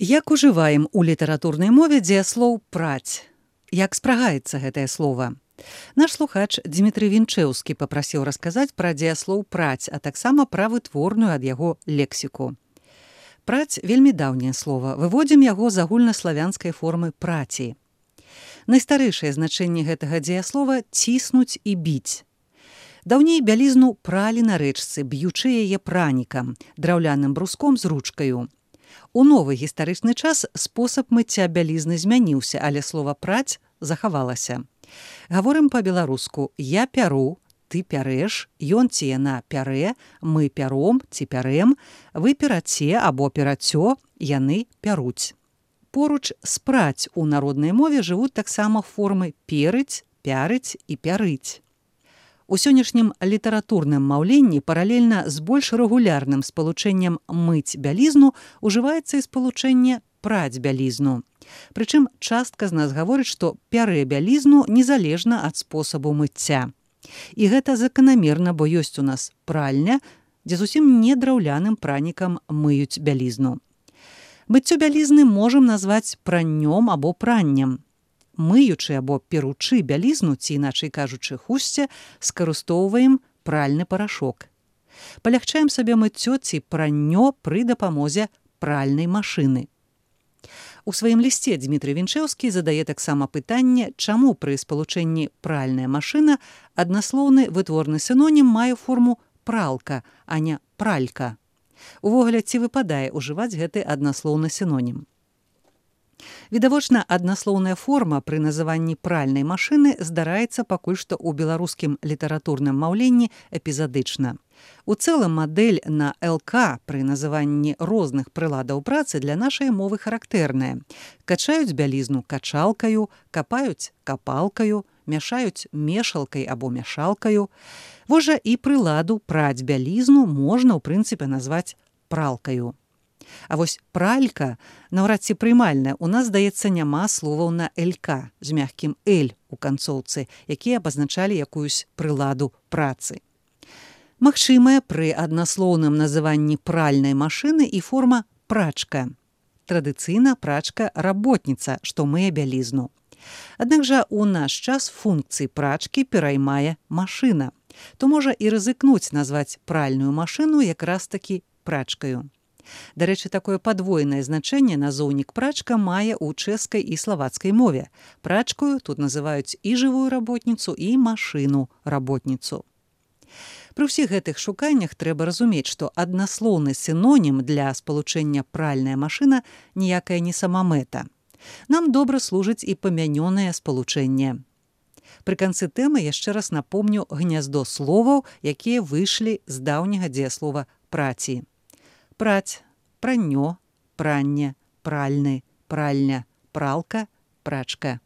Як ужываем у літаратурнай мове дзеяслоў «праць»? Як спрагаецца гэтае слова? Наш слухач Дмітрый Вінчэўскі папрасіў расказаць пра дзеяслоў «праць», а таксама пра вытворную ад яго лексіку. «Праць» – вельмі даўняе слова. Выводзім яго з агульнаславянскай формы «праці». Найстарэйшае значэнне гэтага дзеяслова – ціснуць і біць. Даўней бялізну пралі на рэчцы, б'ючы яе пранікам, драўляным бруском з ручкаю. У новы гістарычны час спосаб мыцця бялізны змяніўся, але слова «праць» захавалася. Гаворым па-беларуску «я пяру», «ты пярэш», «ён ці яна пярэ», «мы пяром» ці «пярэм», «вы пераце» або «перацё», «яны пяруць». Поруч з «праць» у народнай мове жывуць таксама формы «перыць», «пярыць» і «пярыць». У сённяшнім літаратурным маўленні паралельна з больш рэгулярным спалучэннем «мыць бялізну» ужываецца і спалучэнне «праць бялізну». Прычым частка з нас гаворыць, што пярэ бялізну незалежна ад спосабу мыцця. І гэта заканамерна, бо ёсць у нас пральня, дзе зусім не драўляным пранікам мыюць бялізну. Мыццё бялізны можам назваць праннём або праннем. Мыючы або перучы бялізну, ці, іначай кажучы, хусце, скарыстоўваем пральны парашок. Палягчаем сабе мыццё ці праннё пры дапамозе пральнай машыны. У сваім лісце Дмітрый Вінчэўскі задае таксама пытанне, чаму пры спалучэнні пральная машына аднаслоўны вытворны сінонім мае форму пралка, а не пралька. Увогуле, ці выпадае ўжываць гэты аднаслоўны сінонім? Відавочна, аднаслоўная форма пры называнні пральнай машыны здараецца пакуль што ў беларускім літаратурным маўленні эпізадычна. У цэлым мадэль на ЛК пры называнні розных прыладаў працы для нашай мовы характэрная. Качаюць бялізну качалкаю, капаюць капалкаю, мяшаюць мешалкай або мяшалкаю. Вось жа і прыладу праць бялізну можна, ў прынцыпе, назваць пралкаю. А вось пралька наўрад ці прымальная. У нас, здаецца, няма словаў на «ЛК» з мягкім «Л» у канцоўцы, якія абазначалі якуюсь прыладу працы. Магчымая пры аднаслоўным называнні пральнай машыны і форма «прачка». Традыцыйна прачка-работніца, што мые бялізну. Аднак жа у наш час функцыі прачкі пераймае машына. То можа і рызыкнуць назваць пральную машыну якраз-такі прачкаю. Дарэчы, такое падвойнае значэнне назоўнік прачка мае ў чэшскай і славацкай мове. Прачкаю тут называюць і жывую работніцу, і машыну-работніцу. Пры ўсіх гэтых шуканнях трэба разумець, што аднаслоўны сінонім для спалучэння пральная машына ніякая не самамэта. Нам добра служыць і памянёнае спалучэнне. Пры канцы тэмы яшчэ раз напомню гняздо словаў, якія выйшлі з даўняга дзеяслова «праці». Праць, праннё, пранне, пральны, пральня, пралка, прачка.